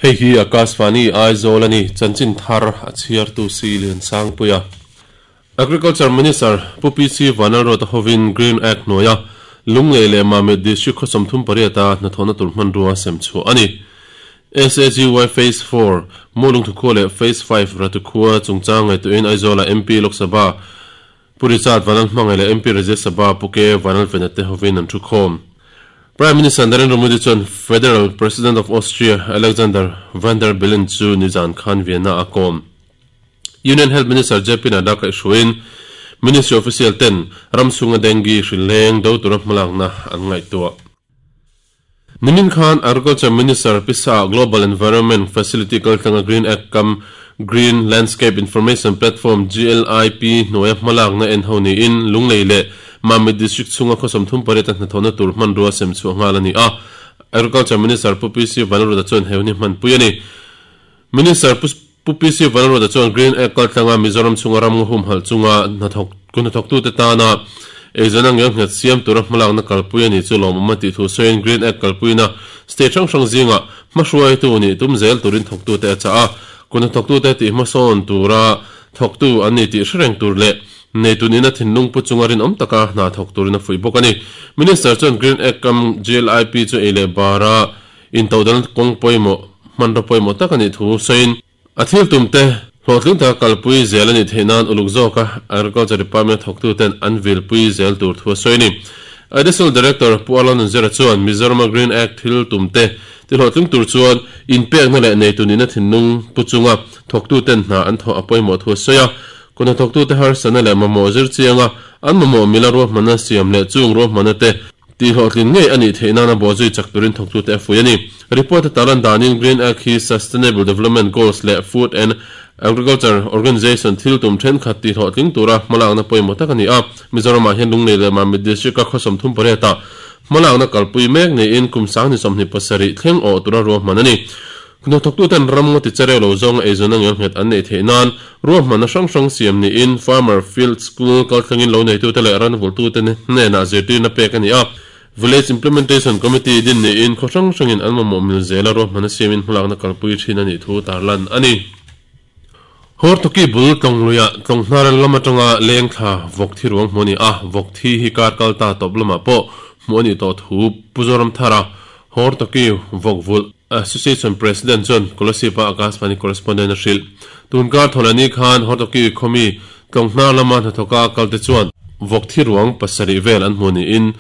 Hei hi Akashvani Aizawl a ni, chanchin thar a chhiartu si Liansangpuia. Agriculture Minister Pu PC Vanlalruata hovin Green Act hnuaia Lunglei leh Mamit District khaw 38 a hnathawhna tur hmanrua sem chhuah a ni. SAGY Phase 4, Mualungthu khua leh Phase 5, Ratu khua chungchang ngaihtuahin Aizawla MP Lok Sabha Pu Richard Vanlalhmangaih leh MP Rajya Sabha Pu K Vanlalvena te hovin an thu khawm. Prime Minister Narendra Modi chuan Federal President of Austria Alexander Van der Bellen chu nizan khan Vienna a kawm. Union Health Minister JP Nadda kaihhruaiin Ministry official ten ram chhunga dengue hrileng do tura hmalakna an ngaihtuah. Nimin khan Agriculture Minister Pisa Global Environment Facility kaltlanga Green Act kam Green Landscape Information Platform, GLIP, hnuaia hmalakna en ho niin Lunglei leh Mamit District chhunga khaw 38 a hnathawhna tur hmanrua sem chhuah nghal a ni a. Agriculture Minister Pu PC Vanlalruata chuan he hun hi hmanpui a ni. Minister Pu PC Vanlalruata chuan Green Act kaltlanga Mizoram chhunga ram humhalh chunga hnathawk ku hnathawktute tana eizawnna ngelnghet siam tura hmalakna kalpui a nih chu lawmawm a tih thu sawiin Green Act kalpuina state hrang hrang zingah hmahruaitu nih tum zel turin thawktute a chah a. Ku hnathawktute tih hmasawn tura thawktu an ni tih hre reng tur leh neitu nihna thinlung pu chunga rinawm taka hna thawk turin a fuih bawk a ni. Minister chuan Green Act kam GLIP chu ei leh bara Intodelh kawng pawimawh, hmanraw pawimawh tak a nih thu sawiin, a thil tumte hlawhtling taka kalpui zel a nih theih nan uluk zawka Agriculture Department thawktuten an vilpui zel tur thu a sawi a ni. Additional Director Pu Arla Nunzira chuan Mizorama Green Act thil tumte ti hlawhtling tur chuan inpekna leh neitu nihna thinlung pu chunga thawktuten hna an thawh a pawimawh thu a sawi a. Kawhna thawktute harsatna leh mamawh zir chianga an mamawh mila ruahmanna siam leh chung ruahmanna te Tihhlawhtlin ngei a nih theih nana bawhzui chak turin thawktute a fuih a ni. Report a tarlan danin Green Act hi Sustainable Development Goals leh Food and Agriculture Organization thil tum thenkhat tihhlawhtling tura hmalakna pawimawh tak a ni a. Mizoramah hian Lunglei leh Mamit District-a khaw 38 ah hmalakna kalpui mek niin kum 2027 thleng awh tura ruahman a ni. Hnathawktuten ram ngaw tichereu lo zawnga eizawnna ngelnghet an neih theih nan ruahmanna hrang hrang siam niin Farmer Field School kalthlengin lo neitute leh ranvulhtute hnenah zirtirna pek a ni a. Village Implementation Committee din niin khaw hrang hrangin an mamawh mil zela ruahmanna siamin hmalakna kalpui thin a nih thu tarlan a ni. Hortoki bul tlawng luiah tlawng hnar lam atanga leng thla vawk thi ruang hmuh a ni a, vawk thi hi kar kal ta tawp lamah pawh hmuh a nih tawh thu Pu Zoramthara Hortoki vawk vulh Association President chuan Kolasib-a Akashvani correspondent a hrilh. Tun kar thawhlehni khan Hortoki khawmi tlawng hnar lama hnathawka kalte chuan vawk thi ruang pasarih vel an hmuh niin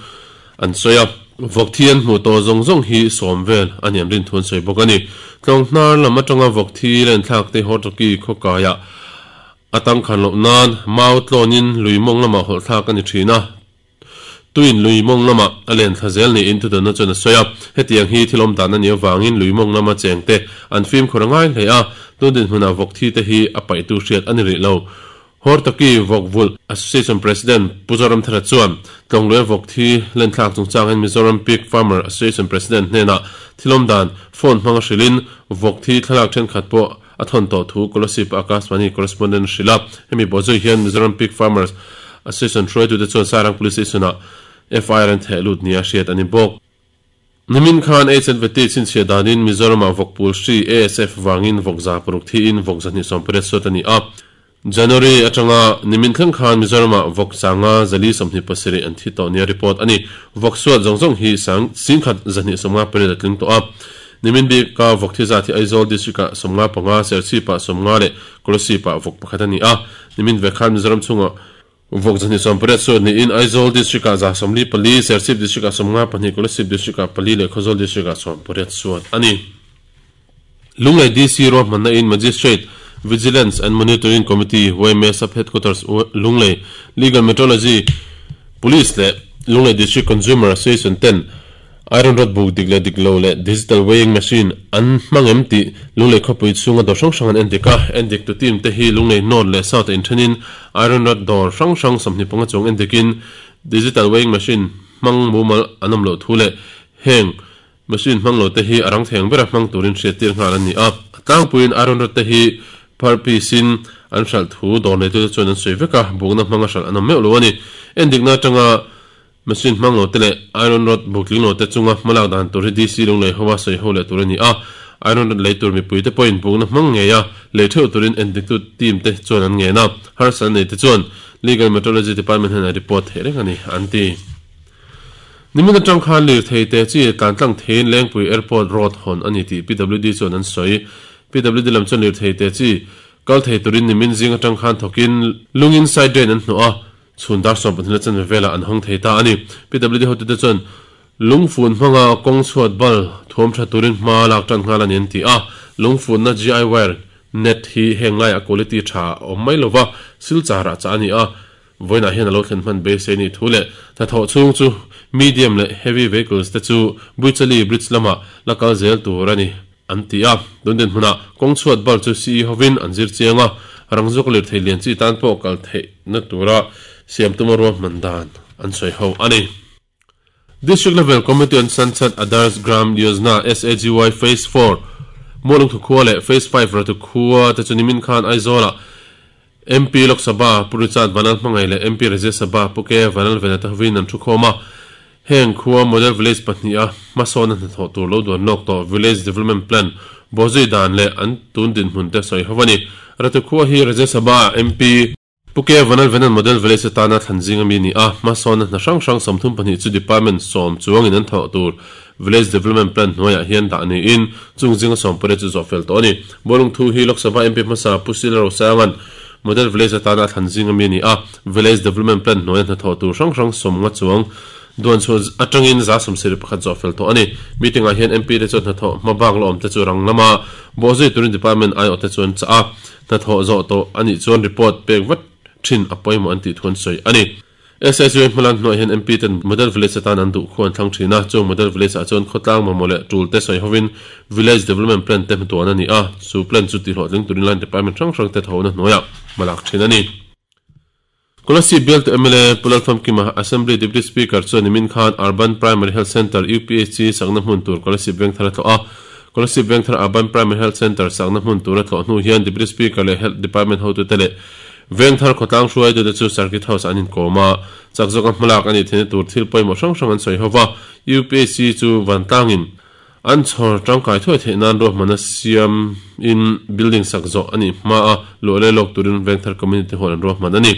an sawi a. Vawk thi an hmuh tawh zawng zawng hi sawm vel a ni an rin thu an sawi bawk a ni. Tlawng hnar lam atanga vawk thi lenthlak te Hortoki khawkaiah a tangkhan loh nan mau tlawnin lui mawng lamah hawlhthlak a ni thin a. Tuin lui mawng lamah a len thla zel niin thudanna chuan a sawi a. Hetiang hi thil awm dan a nih avangin lui mawng lama cheng te an fimkhur a ngai hle a, tun dinhmunah vawk thi te hi a paihtu hriat a ni rih lo. Hortoki Vawk Vulh Association President Pu Zoramthara chuan Tlawngluia vawk thi lenthlak chungchangin Mizoram Pig Farmer Association President hnenah thil awm dan phone hmanga hrilhin vawk thi thlalak thenkhat pawh a thawn tawh thu Kolasib Akashvani correspondent a hrilh a. Hemi bawhzui hian Mizoram Pig Farmers Association hruaitute chuan Sairang Police Station-ah FIR an theh lut nia hriat a ni bawk. Nimin khan HNVT chhinchhiah danin Mizoramah vawkpul hri ASF vangin vawk 600 thiin vawk 280 suat a ni a. January atanga nimin thleng khan Mizoramah vawk 527 an thi tawh nia report a ni. Vawk suat zawng zawng hi sang singkhat 258 a tling tawh a. Nimin bika vawk thi zat hi Aizawl District-ah 55, Serchhip-ah 50 leh Kolasib-ah vawk pakhat a ni a. Nimin ve khan Mizoram chhungah Vawk 280 suat niin Aizawl District-ah 44, Serchhip District-ah 52, Kolasib District-ah pali leh Khawzawl District-ah 18 suat a ni. Lunglei DC ruahmanna in Magistrate, Vigilance and Monitoring Committee, YMA Sub Headquarters, Lunglei, Legal Metrology, Police leh Lunglei District Consumer Association ten Iron rod buk dik leh dik lo leh digital weighing machine an hmang em tih Lunglei khawpui chhunga dawr hrang hrang an endik a. Endiktu team te hi Lunglei North leh South a inthenin iron rod dawr hrang hrang 25 chuang endikin digital weighing machine hmang mumal an awm loh thu leh heng machine hmang lo te hi a rang thei ang bera hmang turin hriattir nghal an ni a. A tlangpuiin iron rod te hi phar piece in an hralh thu dawr neitute chuan an sawi vek a, bukna hmanga hralh an awm meuh lo a ni. Endikna atanga Machine hmang lo te leh iron rod buk tling lo te chunga hmalak dan tur hi DC Lunglei hoa sawi ho leh tur a ni a. Iron rod lei tur mipuite pawhin bukna hmang ngei a, lei theuh turin endiktu team te chuan an ngen a, harsatna nei te chuan Legal Metrology Department hnenah report theih reng a ni, an ti. Nimin atang khan lirthei te chi tlan tlang theiin Lengpui Airport Road hawn a ni tih PWD chuan an sawi. PWD lam chuan lirthei te chi kal thei turin nimin zing atang khan thawkin lungin side drain an hnawh a, chhun dar 12 la chanve velah an hawng thei ta a ni. PWD hotute chuan Lungfun hmanga kawng chhuat bal thuam tha turin hma lak tan nghal a ni an ti a, lungfunna GI wire net hi heng laiah quality tha a awm mai lova, silchar ah chah a ni a, vawiinah hian a lo thlen hman beisei a nih thu leh hnathawh chhung chu medium leh heavy vehicles te chu Buichali bridge lamah la kal zel tur a ni an ti a, tun dinhmunah kawng chhuat bal chu CE hovin an zir chiang a, rangzawk lirthei lian chi tan pawh kal theihna tura siam tuma ruahman dan an sawi ho a ni. District Level Committee on Sansad Adarsh Gram Yojana, SAGY, Phase 4, Mualungthu khua leh Phase 5 Ratu khua te chu nimin khan Aizawlah MP Lok Sabha Pu Richard Vanal Hmangaih leh MP Rajya Sabha Pu K Vanal Venata hovin an thukhawm a. Heng khua Model Village pahniha hmasawna hnathawh tur lo duan lawk tawh Village Development Plan bawhzui dan leh an tun dinhmun te sawi ho a ni. Ratu khua hi Rajya Sabha MP Pu K. Vanalvenan Model Village atana thlan zing ami a ni a, hmasawnna hna hrang hrang 32 chu Department sawm chuangin an thawh tur Village Development Plan hnuaiah hian dah niin chung zinga 18 chu zawh fel tawh a ni. Bawlung thu hi Lok Sabha MP hmasa Pu Sila Rosanga'n Model Village atana a thlan zing ami a ni a, Village Development Plan hnuaia hna thawh tur hrang hrang 50 chuang duan chhuah atangin 71% zawh fel tawh a ni. Meeting-ah hian MP te chuan hnathawh hma bak la awm te chu rang lama bawhzui turin Department aiawh te chu an chah a. Hnathawh zawh tawh a nih chuan report pek vat thin a pawimawh an tih thu an sawi a ni. SSU hmalan hnuah hian MP ten Model Village atan an duh khu an thlang thin a, chung Model Village ah chuan khawtlang mamawh leh tul te sawi hovin Village Development Plan te hmatuan a ni a, chu plan chu tihhlawhtling turin line department hrang hrang te thawhna hnuaiah hma lak thin a ni. Kolasib bialtu mla Pu Lalfamkima, Assembly Deputy Speaker chuan nimin khan Urban Primary Health Centre, UPHC, sakna hmun tur Kolasib Vengthar a tlawh a. Kolasib Vengthar Urban Primary Health Centre sakna hmun tur a tlawh hnu hian Deputy Speaker leh Health Department hotute leh Vengthar khawtlang hruaitute chu Circuit House ah an inkawm a. Chak zawka hmalak a nih theihna tur thil pawimawh hrang hrang an sawi ho va. UPHC chu vantlangin An chhawr tangkai thuai theih nan ruahmanna siam in building sak zawh a nih hma a, luah leh lawk turin Vengthar Community Hall an ruahman a ni.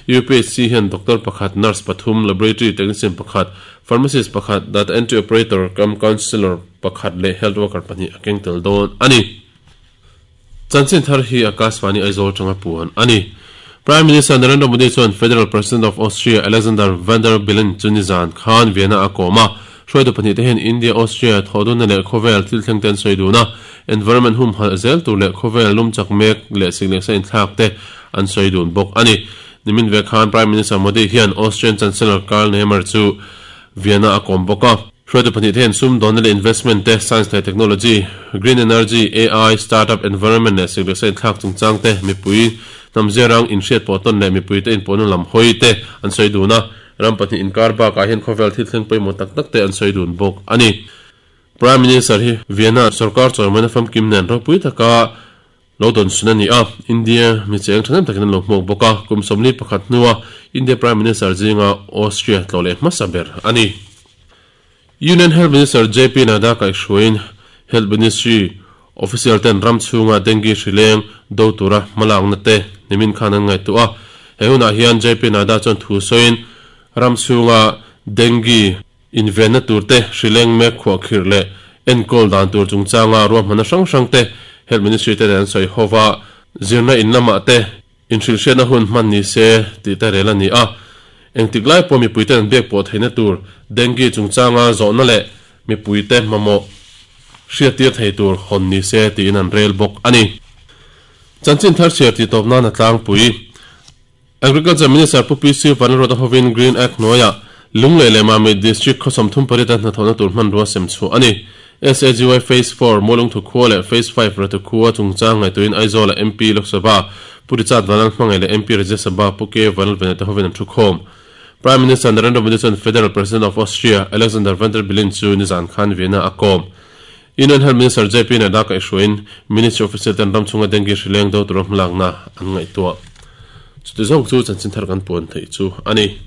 UPHC hian doctor pakhat, nurse pathum, laboratory technician pakhat, pharmacist pakhat, data entry operator cum counsellor pakhat leh health worker pahnih a keng tel dawn a ni. Chanchin thar hi Akashvani Aizawl tanga puan a ni. Prime Minister Narendra Modi chuan Federal President of Austria Alexander Van der Bellen chu nizan khan Vienna a kawm a. Hruaitu pahnih te hian India-Austria thawhdunna leh khawvel thil thleng te an sawi dun a, environment humhalh zel tur leh khawvel lum chak mek leh sik leh sa inthlak te an sawi dun bawk a ni. Nimin ve khan Prime Minister Modi hian Austrian Chancellor Karl Nehammer chu Vienna a kawm bawk a. Hruaitu pahnih te hian sumdawnna leh investment te, science leh technology, green energy, AI, startup environment leh sik leh sa inthlak chungchang te, mipui hnam ziarang inhriat pawh tawn leh mipuite inpawhna lam hawi te an sawi dun a. Ram pahnih inkar bakah hian khawvel thil thleng pawimawh tak tak te an sawi dun bawk a ni. Prime Minister hi Vienna sorkar chawimawina famkim nen ropui taka Lo dawn sun a ni a, India mi cheng thahnem takin an lo hmuak bawk a, kum 41 hnua India Prime Minister zinga Austria tlawh leh hmasa ber a ni. Union Health Minister JP Nadda kaihhruaiin Health Ministry official ten ram chhunga dengue hri leng do tura hmalakna te nimin khan an ngaihtuah a, he hunah hian JP Nadda chuan thu sawiin ram chhunga dengue Invenna turte, hrileng mek khuahkhirh leh enkawl dan tur chungchanga ruahmanna hrang hrang te Health Ministry te nen an sawi ho va, zirna in lamah te inhrilhhriatna hun hman ni se tih te rel a ni a. Engtik lai pawh mipuite an biak pawh theihna tur dengue chungchanga zawhna leh mipuite mamawh hriattir thei tur hawn ni se tiin an rel bawk a ni. Chanchin thar chhiar tih tawp nan a tlangpui. Agriculture Minister Pu PC Vanlalruata hovin Green Act hnuaiah Lunglei leh Mamit District khaw 38 a hnathawhna tur hmanrua sem chhuah a ni. SAGY Phase 4 Mualungthu khua leh Phase 5 Ratu khua chungchang ngaihtuahin Aizawl-a MP Lok Sabha Pu Richard Vanlalhmangaih leh MP Rajya Sabha Pu K Vanlalvena te hovin an thukhawm. Prime Minister Narendra Modi chuan Federal President of Austria Alexander Van der Bellen chu nizan khan Vienna a kawm. Union Health Minister JP Nadda kaihhruaiin Ministry official ten ram chhunga dengue hri leng do tura hmalakna an ngaihtuah. Chuti zawng chu chanchin thar kan puan theih chu a ni.